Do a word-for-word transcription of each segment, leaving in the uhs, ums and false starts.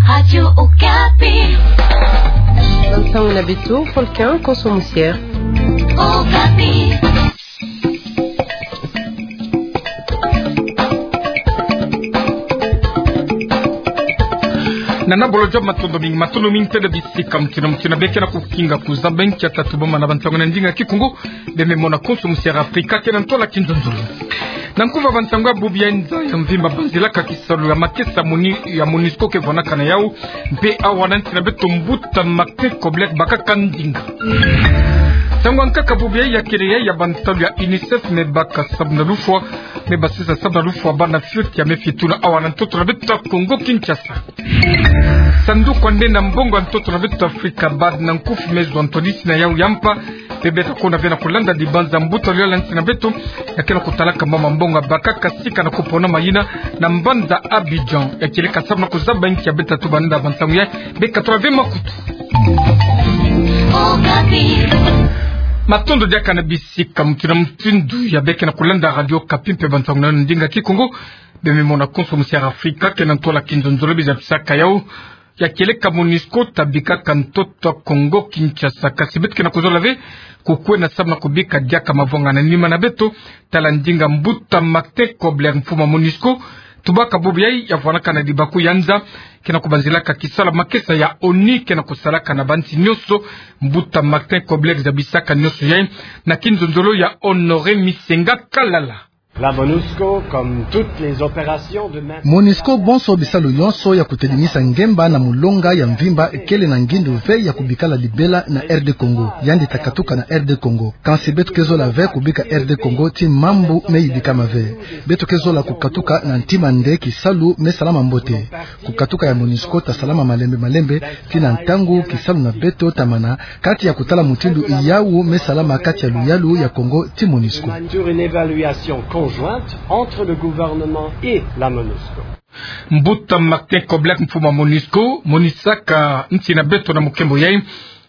Radio Okapi. Bansango na beto, Volcan Konso Musiere. Okapi. Nana bolo job, matondo mingi, matondo mingi tele bisika mutindu na mutindu beke na kukinga kuzaba nkia tatu bamana bansango na ndinga Kikongo, beme mona Konso Musiere Afrika ke na ntwala kinzonzolo. Na nkufa bansango ya bubu ya nza ya mvimba banzilaka kisalu ya makesa moni-, ya MONUSCO ke vwanakana yau, mpe awa na nsi na beto mbuta Martin Kobler bakaka ndinga. Nsangu ya nkaka bubu ya kele ya, ya bansalu ya UNICEF me baka samu na lufwa, me basisa samu na lufwa bana fioti ya me fituna awa na ntoto na beto Kongo Kinshasa. Sanduku ya nde na mbongo ya ntoto na beto Afrika, BAD, na nkufi me zwa ntwadisi na yau ya mpa, mpe beta kuna bena kulanda dibanza mbuta luyala nsi na beto, ya ke na kutalaka mama mbongo bakaka sika na kupona mayina na mbanza Abidjan, ya kieleka samu na kuzaba nkia beta tuba nda bansango ya, beka tula ve makutu. Matondo diaka na bisika mutindu na mutindu ya beke na kulanda Radio Okapi mpe bansango na ndinga Kikongo, beme mona Konso Musiere Afrika ke na ntwala kinzonzolo. Biza bisaka yau, ya kieleka MONUSCO ta bikaka ntoto Kongo Kinshasa. Kasi beto ke na kuzola ve kukwena samu na kubika diaka mavwanga na nima na beto, tala ndinga mbuta Martin Kobler, mfumu ya MONUSCO, tubaka bubu ya, ya vwanakana dibaku ya nza, ke na kubanzilaka kisalu ya makesa ya ONU ke na kusalaka na bansi nyonso. Mbuta Martin Kobler zabisaka nyonso ya na kinzonzolo ya Honoré Misenga Kalala. La MONUSCO, comme toutes les opérations de maintien. MONUSCO, bonso bisalu yonso ya kutedimisa ngemba na mulonga ya mvimba, kele na ngindu ve ya kubikala libela na R D Congo. Yandi ta katuka na R D Congo. Kansi beto ke zola ve kubika R D Congo ti mambu me yibikama ve. Beto ke zola kukatuka na ntima nde kisalu me salama mbote. Kukatuka ya MONUSCO ta salama malembe malembe, ti na ntangu kisalu na beto ta mana, kati ya kutala mutindu yau me salama kati ya luyalu ya Congo ti MONUSCO. Sur une évaluation conjointe entre le gouvernement et la MONUSCO. Mbuta Martin Kobler, mfumu ya MONUSCO, monisaka nsi na beto na mukembo yai,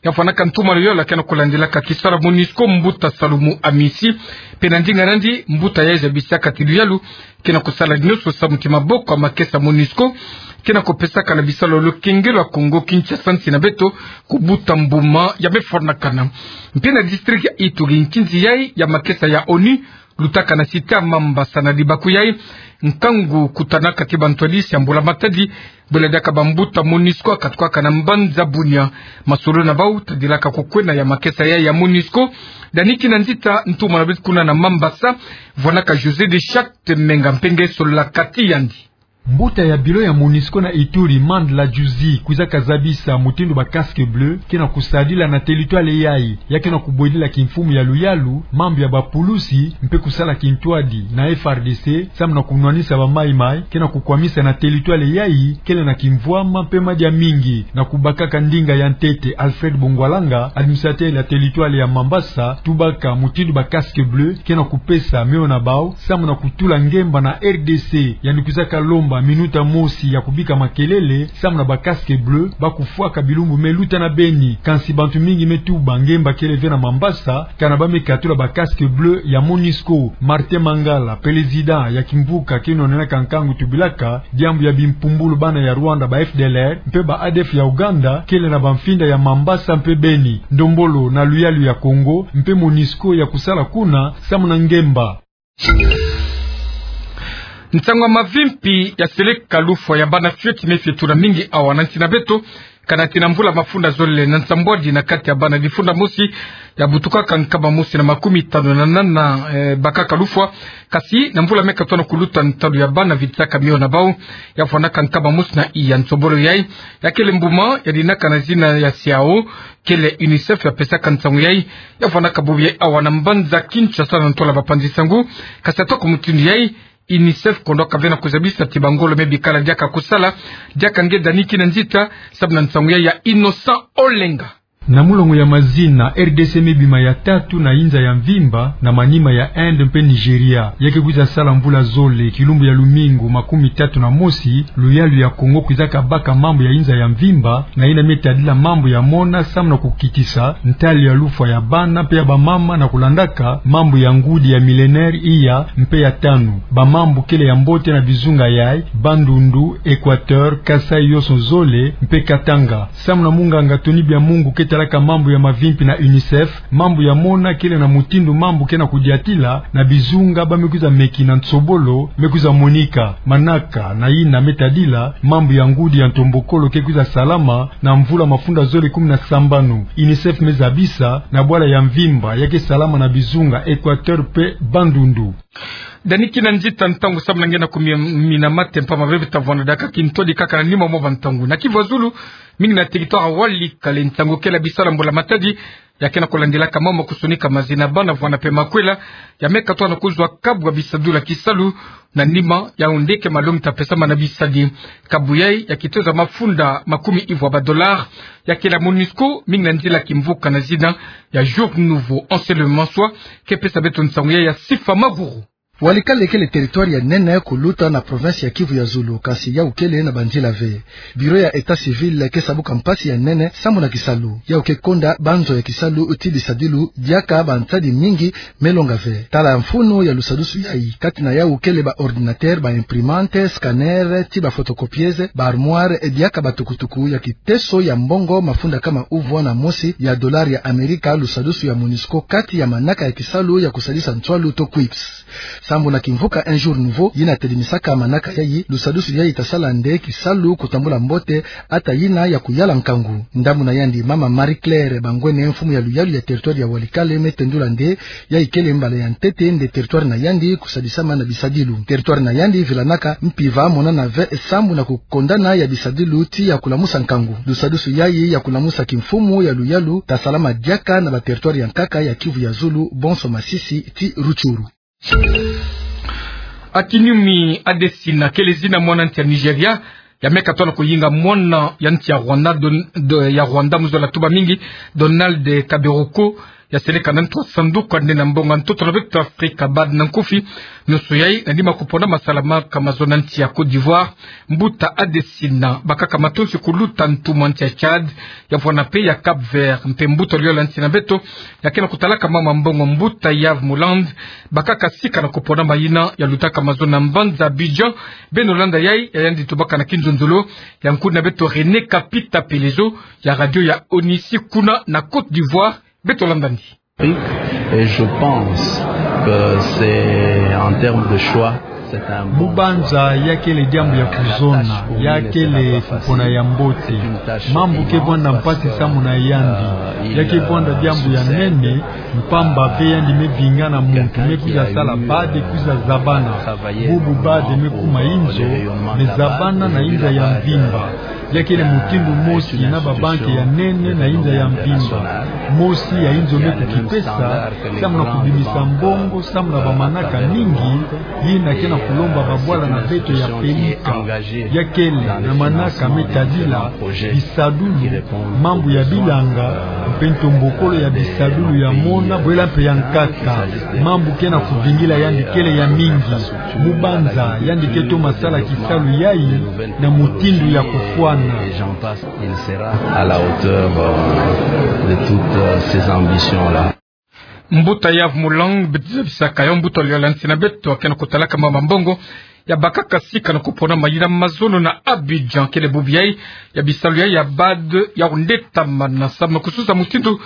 ya vwanaka ntuma luyalu ke na kulandilaka kisalu ya MONUSCO, mbuta Salumu Amisi, mpe na ndinga nandi, mbuta yai zabisaka ti luyalu ke na kusala nyonso samu ti maboko ya makesa MONUSCO ke na kupesaka na bisalu ya lukengelo ya Congo Kinshasa nsi na beto kubuta mbuma ya me fwanakana. Mpe na district ya Ituri, nkinzi yai ya makesa ya ONU lutaka na cité ya Mambasa na dibaku yai, nkangu kutanaka ti bantwadisi ya Mbula Matadi, bwela diaka bambuta MONUSCO ya katukaka na mbanza Bunia. Masolo na bau tadilaka kukwena ya makesa yai ya MONUSCO. Dani Kinanzita, ntuma na beto kuna na Mambasa, vwanaka José de Charte Menga mpe nge solola kati yandi. Mbuta ya bilo ya MONUSCO na Ituri, Mandla Djuzi, kwizaka zabisa mutindu ba casques bleus ke na kusadila na territoire yai. Ya ke na kubwedila kimfumu ya luyalu mambu ya bapulusi mpe kusala kintwadi na F R D C samu na kunwanisa ba Mai Mai ke na kukwamisa na territoire yai kele na kimvwama mpe madia mingi. Na kubakaka ndinga ya ntete, Alfred Bongwalanga, administrateur ya territoire ya Mambasa, tubaka mutindu ba casques bleus ke na kupesa mio na bau samu na kutula ngemba na R D C. Yandi kwizaka lomba minuta mosi ya kubika makelele samu na ba casques bleus ba kufwaka bilumbu me luta na beni. Kansi bantu mingi me tuba ngemba kele ve na Mambasa kana ba me katula ba casques bleus ya MONUSCO. Martin Mangala, président ya kimvuka ke nwanenaka nkangu tubilaka diambu ya bimpumbulu bana ya Rwanda, ba F D L R, mpe ba A D F ya Uganda, kele na bamfinda ya Mambasa mpe Beni. Ndombolo na luyalu ya Congo mpe MONUSCO ya kusala kuna samu na ngemba. Nsangu ya mavimpi ya seleka lufwa ya bana fioti me fetula mingi awa na nsi na beto, kana ti na mvula mafunda zole na nsambwadi na kati ya bana difunda mosi ya butukaka nkama mosi na makumi tanu na nana, eh, bakaka lufwa. Kasi na mvula me katona kuluta, ntalu ya bana vitisaka mio na bau ya fwanaka nkama mosi na iya. Nsombolo yai ya kele mbuma ya dinaka na zina ya SIAO, kele UNICEF ya pesaka nsangu yai, ya fwanaka bubu yai awa na mbanza Kinshasa na ntola bapanzi nsangu. Kasi atako mutindu yai, UNICEF kondo ka ve na kuzabisa ti bangolo me bikala diaka kusala, diaka nge Dani Kinanzita, samu na nsangu yai ya Innocent Olenga. Na mulongo ya mazina, R D C me bima ya tatu na inza ya mvimba, na manima ya Inde mpe Nigeria. Ya ke kwiza sala mvula zole, kilumbu ya lumingu makumi tatu na mosi, luyalu ya Kongo kwizaka baka mambu ya inza ya mvimba, na yina me tadila mambu ya mona samu na kukitisa ntali ya lufwa ya bana mpe ya bamama, na kulandaka mambu ya ngudi ya millénaire iya mpe ya tanu. Bamambu kele ya mbote na bizunga yayi: Bandundu, Équateur, Kasaï yoson zole mpe Katanga. Samu na munganga Tony Biamungu ke talaka mambu ya mavimpi na UNICEF, mambu ya mona kele na mutindu mambu ke na kudiatila na bizunga ba me kwiza meki na nsobolo me kwiza monika. Manaka na yina me tadila mambu ya ngudi ya ntombokolo ke kwiza salama na mvula mafunda zole kumi na sambanu. UNICEF me zabisa na bwala ya mvimba ya ke salama na bizunga Équateur mpe Bandundu. Dani kina nzita ntangu samu na nge na kumia mina mate, mpamba bebe ta vwanda diaka kintwadi kaka na nima mwa bantangu. Na Kivu ya Zulu, mingi na territoire ya Walikale, ntangu kele bisalu ya mbula matadi ya ke na kulandilaka mama kusonika mazina bana vwanda mpe makwela ya me katwa na kuzwa kabu ya bisadulu ya kisalu, na nima ya ondeke malongi ta pesama na bisadi. Kabu yayi ya kitoza mafunda makumi ivwa ba dollars, ya kele ya MONUSCO, mingi na nzila kimvuka na zina ya Jour Nouveau. Anselme Manswa ke pesa beto nsangu yayi ya Sifa Maguru. Walikale kele territoire ya nene kuluta na province ya Kivu ya Zulu, kasi yawu kele na banzila ve. Bureau ya État civil ke sabuka mpasi ya nene samu na kisalu. Yawu ke konda banzo ya kisalu ti bisadilu diaka bansadi mingi me longa ve. Tala mfunu ya lusadusu yayi. Kati na yawu kele ba ordinateur, ba imprimante, scanner, ti ba photocopieuse, ba armoire, diaka ba tukutuku ya kiteso ya mbongo mafunda kama uvwa na mosi ya dollar ya Amerika, lusadusu ya MONUSCO kati ya manaka ya kisalu ya kusadisa nswalu to quips. Sambu na kimvuka Un Jour Nouveau yina tedimisaka manaka yayi, lusadusu yayi ta sala nde kisalu kutambula mbote, ata yina ya kuyala nkangu. Ndambu na yandi, mama Marie-Claire Bangwene, mfumu ya luyalu ya territoire ya Walikale, me tendula nde yayi kele mbala ya ntete nde territoire na yandi kusadisama na bisadilu. Territoire na yandi vilanaka mpimpa monana ve sambu na kukondana ya bisadilu ti ya kulamusa nkangu. Lusadusu yayi ya kulamusa kimfumu ya luyalu ta salama diaka na ba territoire ya nkaka ya Kivu ya Zulu, bonso Masisi ti Rutshuru. Akinyumi Adesina kele zina mwana nsi ya Nigeria ya me katwa na kuyinga mwana ya nsi ya Rwanda, Don-, do-, ya Rwanda mu zola tuba mingi, Donald Kaberuka, ya seleka na ntu ya sanduku ya nde na mbongo ya ntoto na beto Afrika, BAD na nkufi. Nyonso yayi na nima kupona masalama ka mazono na nsi ya Côte d'Ivoire. Mbuta Adesina, bakaka matonsi kuluta ntumwa nsi ya Tchad, ya vwanda mpe ya Cap-Vert, mpe mbuta liola nsi na beto ya ke na kutalaka mama mbongo, mbuta Yves Muland, bakaka sika na kupona mayina ya lutaka mazono na mbanza Abidjan. Beno landa yayi, ya yandi tubaka na kinzonzolo ya nkuni na beto René Kapita Pelezo ya radio ya Onisi kuna na Côte d'Ivoire. Beto landa ndi. Et je pense que c'est en termes de choix, c'est un bon choix. Mu banza ya kele diambu ya kuzona, ya kele kupona ya mbote. Mambu ke vwanda mpasi samu na yandi. Ya ke vwanda diambu ya nene, mpamba ve yandi me vingana muntu me kwiza sala BAD, kwiza zabana. Bubu BAD me kuma inzo, me zabana na inza ya mvimba. Ya kele mutindu mosi na babanki ya nene na inza ya mvimba. Mosi ya inzo me kukipesa samu na kubimisa mbongo samu na bamanaka mingi yina ke na kulomba babwala na beto ya pelika. Ya kele na manaka me tadila bisadulu, mambu ya bilanga, mpe ntombokolo ya bisadulu ya mona bwela mpe ya nkaka. Mambu ke na kuvingila yandi kele ya mingi. Mu banza yandi ke toma sala kisalu yayi na mutindu ya kufwana. Et j'en passe, il sera à la hauteur, euh, de toutes, euh, ces ambitions-là. Mbuta Yves Mulang, beto zabisaka yo mbuta liola nsi na beto, ke na kutalaka mama mbongo, ya bakaka sika na kupona mayina mazono na Abidjan, kele bubu yayi ya bisalu yayi ya BAD ya kundetamana samu na kususa mutindu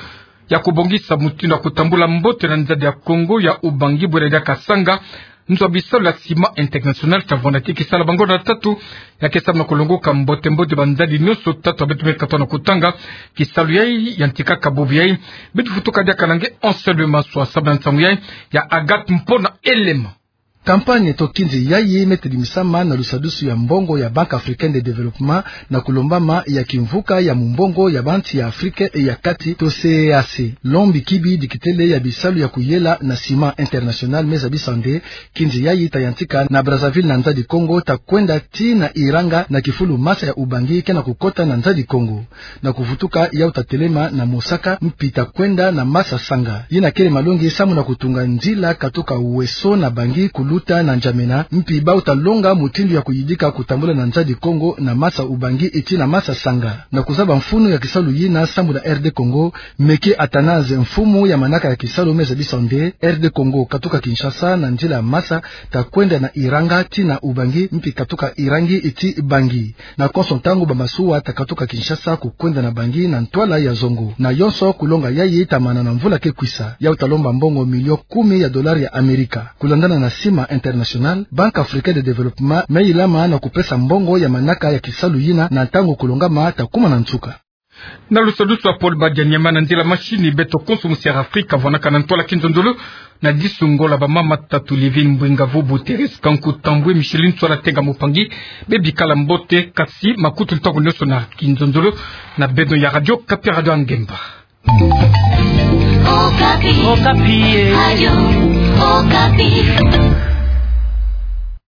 ya kubongisa mutindu ya kutambula mbote na nzadi ya Kongo ya ubangi bwela diaka sanga nzo ya bisalu ya Ciment International, ta vwanda ti kisala bangonda tatu, ya ke samu na kulongoka mbote mbote banzadi nyonso tatu ya beto me katwa na kutanga. Kisalu yayi yantikaka bubu yayi. Beto futuka diaka na nge Anselme Manswa samu na nsangu yayi ya Agathe Mpona Elema. Campagne to kinzi yayi me tadimisama na lusadusu ya mbongo ya Banque Africaine de Développement na kulombama ya kimvuka ya mumbongo ya bansi ya Afrika ya kati to CEEAC. Lombi kibi dikitele ya bisalu ya kuyela na Ciment International me zabisa nde kinzi yayi ta yantika na Brazzaville na Nzadi Kongo, ta kwenda tii na Iranga na kifulu masa ya Ubangi ke na kukota na Nzadi Kongo. Na kuvutuka yau ta telema na Mosaka mpi ta kwenda na masa Sanga. Yina kele malongi samu na kutunga nzila katuka Ouesso na Bangi kuluta na N'Djamena, mpi bau ta longa mutindu ya kuyidika kutambula na Nzadi Kongo na masa Ubangi tii na masa Sanga. Na kuzaba mfunu ya kisalu yina samu na R D Congo, Meke Athanase, mfumu ya manaka ya kisalu, me zabisa nde R D Congo katuka Kinshasa na nzila masa ta kwenda na Iranga tii na Ubangi, mpi katuka Irangi tii Bangi. Na konso ntangu bamasuwa ta katuka Kinshasa kukwenda na Bangi na ntwala ya zongo. Na yonso kulonga yayi ta mana na mvula ke kwisa. Yau ta lomba mbongo million kumi ya dolari ya Amerika. Kulandana na Ciment International, Banque Africaine de Développement me ilama na kupesa mbongo ya manaka ya kisalu yina na ntangu kulongama ta kuma na nsuka. Na lusadusu ya Paul Badianyama, na nzila machine beto konso musi'Afrika vwanaka na ntwala kinzonzolo. Na disungola bamama tatu, Livine Mbwingavu, Buteris Kanku Tambwe, Micheline Tswala Tenga Mupangi, bebikala mbote, kasi makutu ntangu nyonso na kinzonzolo na beno ya Radio Okapi, Radio ya Ngemba. Okapi. Okapi, eh. Radio Okapi.